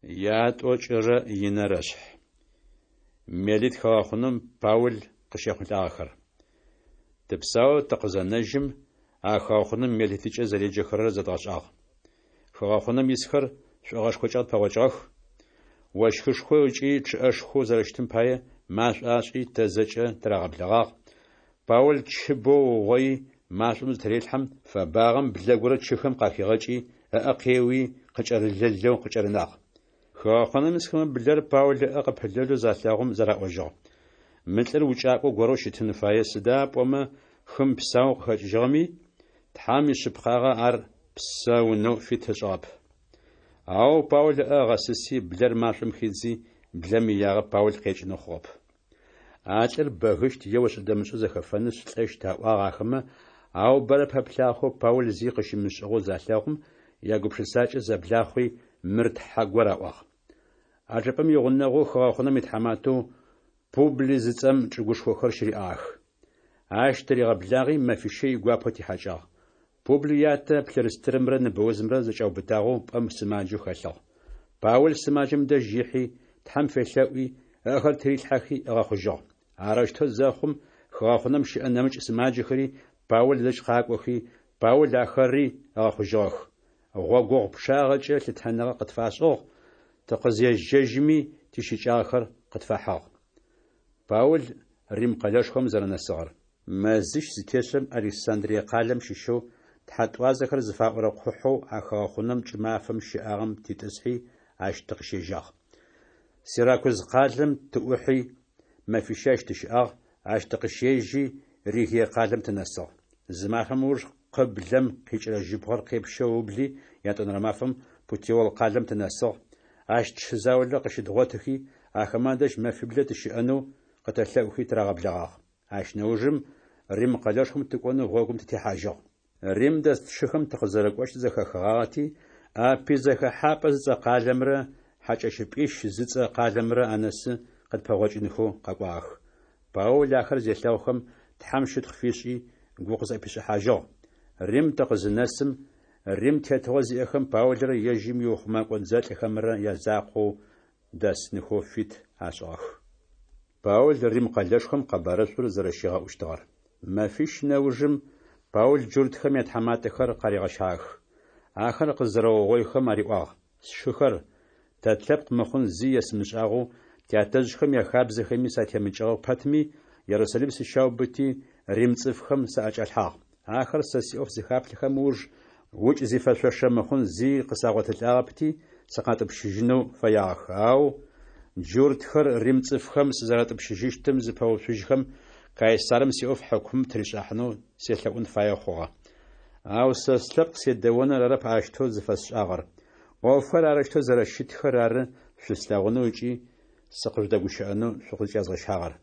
Ятӏокӏырэ инэрэ шъхь. Мелит хыгъэхъунэм Паул къыщехъулӏагъэхэр. Тыпсаоу тыкъызэнэжьым, а хыгъэхъунэм Мелитыкӏэ зэреджэхэрэр зэдгъэшӏагъ. Хыгъэхъунэм исхэр шӏогъэшхокӏэ къытпэгъокӏыгъэх. Ощхышхо ыкӏи чъыӏэшхоу зэрэщытым пае, машӏо ашӏи, тэ зэкӏэ тырагъэблэгъагъ. Паул чы бэу ыугъоий, машӏом зытырелъхьэм, фэбагъэм блэ горэ чыхэм къахигъэкӏи, ыӏэ къеуи, къыкӏэрылэлэу къыкӏэрынагъ. Хыгъэхъунэм исхэмэ блэр Паул ыӏэ къыпылэлэу залъэгъум зэраӏожьыгъ: Мы лӏыр укӏакӏо горэу щытын фае, сыда пӏомэ хым псаоу къыхэкӏыжьыгъэми, Тхьэм ишъыпкъагъэ ар псэунэу фит ышӏыгъэп. Ау Паул ыӏэ ыгъэсыси, блэр машӏом хидзи, блэм иягъэ Паул къекӏынэу хъугъэп. А лӏыр бэгыщт е ошӏэ-дэмышӏэу зэхэфэнышъ лӏэщт, аӏуагъ ахэмэ, ау бэрэ пэплъагъэхэу Паул зи къыщымышӏыгъэу залъэгъум, ягупшысакӏэ зэблахъуи, Мыр тхьэ гор аӏуагъ. А чӏыпӏэм игъунэгъоу хыгъэхъунэм итхьаматэу Публый зыцӏэм чӏыгушхохэр щыриӏагъэх. Ащ тыригъэблагъи, мэфищэ игуапэу тихьакӏагъ. Публый ятэ плъырстырымрэ ныбэузымрэ зэкӏаубытагъэу пӏэм сымаджэу хэлъыгъ. Паул сымаджэм дэжь ихьи, Тхьэм фелъэӏуи, ыӏэхэр тырилъхьэхи ыгъэхъужьыгъ. Арэущтэу зэхъум, хыгъэхъунэм щыӏэ нэмыкӏ сымаджэхэри Паул дэжь къакӏохи, Паул ахэри ыгъэхъужьыгъэх. Гъогогъу пчъагъэкӏэ лъытэныгъэ къытфашӏыгъ, тыкъызежьэжьми тищыкӏагъэхэр къытфахьыгъ. Паул Рим къэлэшхом зэрэнэсыгъэр. Мэзищ зытешӏэм Александрие къалэм щыщэу Тхьэтӏуазэхэр зыфаӏорэ къухьэу а хыгъэхъунэм кӏымафэм щыӏагъэм титӏысхьи, ащ тыкъыщежьагъ. Сиракуз къалэм тыӏухьи, мэфищэ ащ тыщыӏагъ, ащ тыкъыщежьи, Регие къалэм тынэсыгъ. Зы мафэм ыуж къыблэм къикӏырэ жьыбгъэр къепщэу ыубли, ятӏонэрэ мафэм Путеол къалэм тынэсыгъ. Ащ тшы заулэ къыщыдгъотыхи, ахэмэ адэжь мэфиблэ тыщыӏэнэу къытэлъэӏухи тырагъэблэгъагъ. Ащ нэужым Рим къэлэшхом тыкӏонэу гъогум тытехьажьыгъ. Рим дэс тшыхэм тыкъызэрэкӏощтыр зэхахыгъагъэти, Аппий зэхэхьапӏэ зыцӏэ къалэмрэ Хьакӏэщыпӏищ зыцӏэ къалэмрэ анэсы къытпэгъокӏынхэу къэкӏуагъэх. Паул ахэр зелъэгъухэм, Тхьэм щытхъу фишӏи, гу къызӏэпишӏыхьажьыгъ. Рим тыкъызынэсым, Рим тетыгъо зиӏэхэм Паулрэ ежьым иухъумэкӏо дзэлӏхэмрэ язакъоу дэсынхэу фит ашӏыгъэх. Паул Рим къэлэшхом къэбарышӏур зэрэщигъэӏущтыгъэр. Мэфищ нэужым Паул джуртхэм ятхьаматэхэр къаригъэщагъэх. Ахэр къызэрэугъоихэм ариӏуагъ: Сшыхэр, тэ тлъэпкъ мыхъун зи есымышӏагъэу, тятэжъхэм яхабзэхэми сатемыкӏыгъэ пэтми, Ерусалим сыщаубыти, рим цӏыфхэм саӏэкӏалъхьагъ. Ахэр сэ сиӏоф зыхаплъэхэм ыуж, укӏ зифэшъошэ мыхъун зи къысагъотылӏагъэпти, сыкъатӏупщыжьынэу фэягъэх. Ау джуртхэр рим цӏыфхэм сызэратӏупщыжьыщтым зыпэуцужьхэм, Кайсарым сиӏоф хьыкумым тыришӏахьынэу селъэӏун фаеу хъугъэ. Ау сэ слъэпкъ седэоныр арэп аущтэу зыфэсшӏагъэр. ӏофхэр арэущтэу зэрэщытхэр ары шъуслъэгъунэу ыкӏи сыкъыжъудэгущыӏэнэу шъукъызкӏязгъэщагъэр.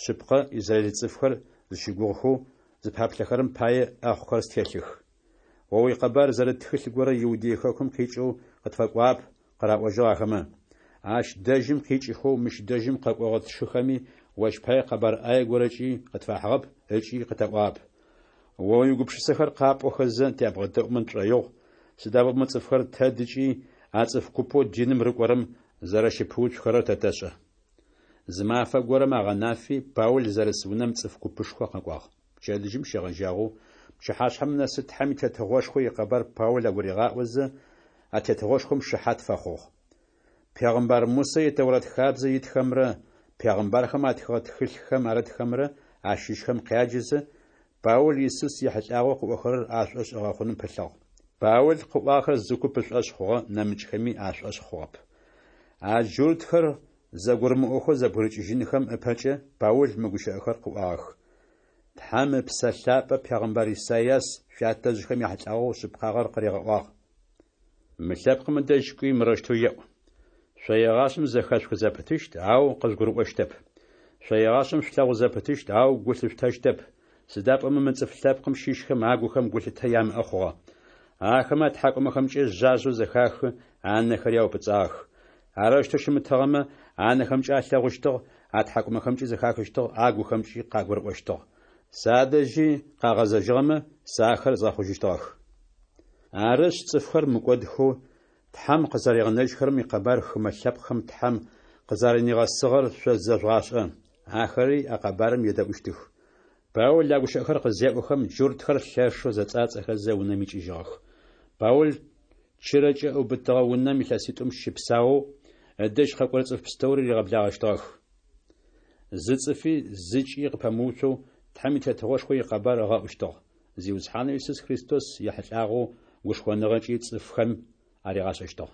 Шъыпкъэ, израиль цӏыфхэр зыщыгугъыхэу зыпаплъэхэрэм пае ӏэхъухэр стелъых. О уикъэбар зэрыт тхылъ горэ Иудей хэкум къикӏэу къытфэкӏуагъэп, къыраӏожьыгъ ахэмэ. Ащ дэжьым къикӏыхэу мыщ дэжьым къэкӏогъэ тшыхэми ощ пае къэбар ӏае горэкӏи къытфахьыгъэп ыкӏи къытаӏуагъэп. О уигупшысэхэр къапӏохэзэ тябгъэдэӏумэ тшӏоигъу, сыда пӏомэ цӏыфхэр тэдыкӏи а цӏыф купэу диным рыкӏорэм зэрэщыпэуцухэрэр тэ тэшӏэ. Зы мафэ горэм агъэнафи, Паул зэрыс унэм цӏыф купышхо къэкӏуагъ. Пчэдыжьым щегъэжьагъэу пчыхьашъхьэм нэсы Тхьэм и Тетыгъошхо икъэбар Паул агуригъаӏозэ, а тетыгъошхом шыхьат фэхъугъ. Пегъымбар Мусэ и Тэурат хабзэ итхэмрэ пегъымбархэм атхыгъэ тхылъхэм арытхэмрэ ащыщхэм къяджэзэ, Паул Исус ехьылӏагъэу къыӏохэрэр ашӏошъ ыгъэхъуным пылъыгъ. Паул къыӏуагъэхэр зы куп ышӏошъ хъугъэ, нэмыкӏхэми ашӏошъ хъугъэп. А джуртхэр зэгурымыӏохэу зэбгырыкӏыжьынхэм ыпэкӏэ Паул мы гущыӏэхэр къыӏуагъэх: Тхьэм Ыпсэ Лъапӏэ пегъымбар Исайас шъуятэжъхэм яхьылӏагъэу шъыпкъагъэр къыригъэӏуагъ. Мы лъэпкъым ыдэжь кӏуи мырэущтэу еӏу: Шъо егъашӏэм зэхэшъухы зэпытыщт, ау къыжъугурыӏощтэп. Шъо егъашӏэм шъулъэгъу зэпытыщт, ау гу лъышъутэщтэп, сыда пӏомэ мы цӏыф лъэпкъым щыщхэм агухэм гулъытэ ямыӏэ хъугъэ. Ахэмэ атхьакӏумэхэмкӏэ жъажъэу зэхахы, анэхэри аупӏыцӏагъэх. Арэущтэу щымытыгъэмэ, анэхэмкӏэ алъэгъущтыгъ, атхьакӏумэхэмкӏи зэхахыщтыгъ, агухэмкӏи къагурыӏощтыгъ. Садэжьи къагъэзэжьыгъэмэ, сэ ахэр згъэхъужьыщтыгъэх. Арышъ, цӏыфхэр мыкӏодхэу Тхьэм къызэригъэнэжьхэрэм икъэбар хымэ лъэпкъхэм Тхьэм къызэрэнигъэсыгъэр шъо зэжъугъашӏэ. Ахэри а къэбарым едэӏущтых. Паул а гущыӏэхэр къызеӏохэм, джуртхэр лъэшэу зэцӏацӏэхэзэ, унэм икӏыжьыгъэх. Паул чырэкӏэ ыубытыгъэ унэм илъэситӏум щыпсаоу, ыдэжь къэкӏорэ цӏыф пстэури ригъэблагъэщтыгъэх. Зы цӏыфи зыкӏи къыпэмыуцоу Тхьэм и Тетыгъошхо икъэбар ыгъэӏущтыгъ, Зиусхьанэу Исус Христос ехьылӏагъэу гушхоныгъэкӏи цӏыфхэм аригъашӏэщтыгъ.